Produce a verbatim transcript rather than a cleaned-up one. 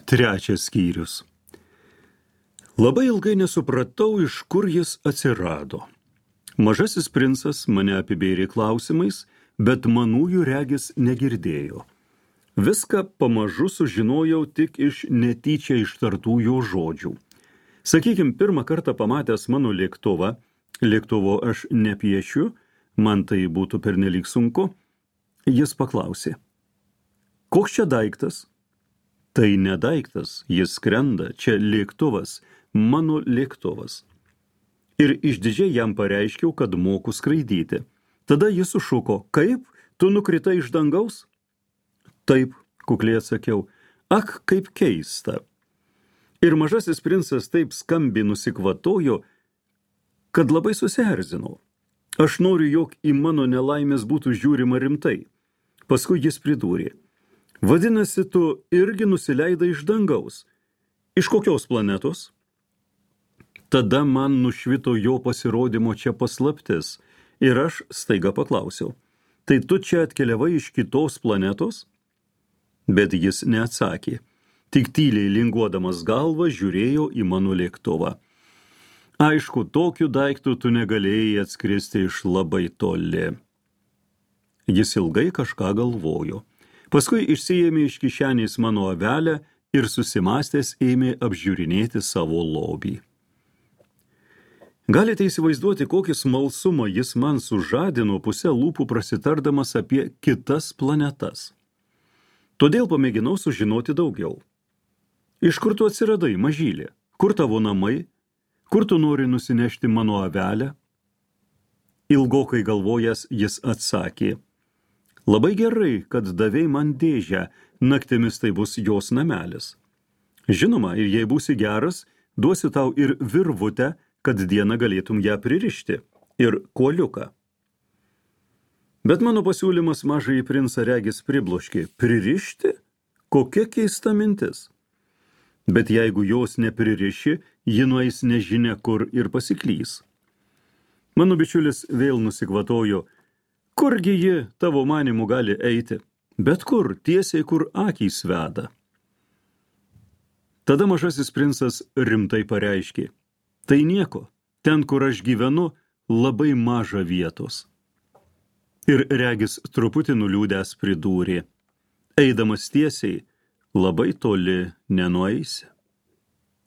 Trečias skyrius. Labai ilgai nesupratau, iš kur jis atsirado. Mažasis princas mane apibėrė klausimais, bet manųjų regis negirdėjo. Viską pamažu sužinojau tik iš netyčia ištartų jo žodžių. Sakykim, pirmą kartą pamatęs mano lėktuvą, lėktuvo aš nepiešiu, man tai būtų pernelyg sunku, jis paklausė: koks čia daiktas? Tai ne daiktas, jis skrenda, čia lėktuvas, mano lėktuvas. Ir išdidžiai jam pareiškiau, kad moku skraidyti. Tada jis sušuko: kaip, tu nukritai iš dangaus? Taip, kukliai atsakiau. Ak, kaip keista. Ir mažasis princas taip skambiai nusikvatojo, kad labai susierzinau. Aš noriu, jog į mano nelaimės būtų žiūrima rimtai. Paskui jis pridūrė: vadinasi, tu irgi nusileidai iš dangaus. Iš kokios planetos? Tada man nušvito jo pasirodymo čia paslaptis ir aš staiga paklausiau: tai tu čia atkeliavai iš kitos planetos? Bet jis neatsakė, tik tyliai linguodamas galvą žiūrėjo į mano lėktuvą. Aišku, tokiu daiktu tu negalėjai atskristi iš labai toli. Jis ilgai kažką galvojo. Paskui išsiėmė iš kišenės mano avelę ir susimąstęs ėmė apžiūrinėti savo lobį. Galite įsivaizduoti, kokį smalsumą jis man sužadino pusę lūpų prasitardamas apie kitas planetas. Todėl pamėginau sužinoti daugiau. Iš kur tu atsiradai, mažylė? Kur tavo namai? Kur tu nori nusinešti mano avelę? Ilgokai galvojęs jis atsakė: labai gerai, kad davei man dėžę, naktimis tai bus jos namelis. Žinoma, ir jei būsi geras, duosiu tau ir virvutę, kad dieną galėtum ją pririšti, ir kuoliuką. Bet mano pasiūlymas mažąjį princą regis pribloškė. Pririšti? Kokia keista mintis. Bet jeigu jos nepririši, ji nueis nežinia kur ir pasiklys. Mano bičiulis vėl nusikvatojo: kurgi ji tavo manimu gali eiti? Bet kur, tiesiai kur akys veda. Tada mažasis princas rimtai pareiškė: tai nieko, ten, kur aš gyvenu, labai maža vietos. Ir regis truputį nuliūdęs pridūrė: eidamas tiesiai, labai toli nenueisi.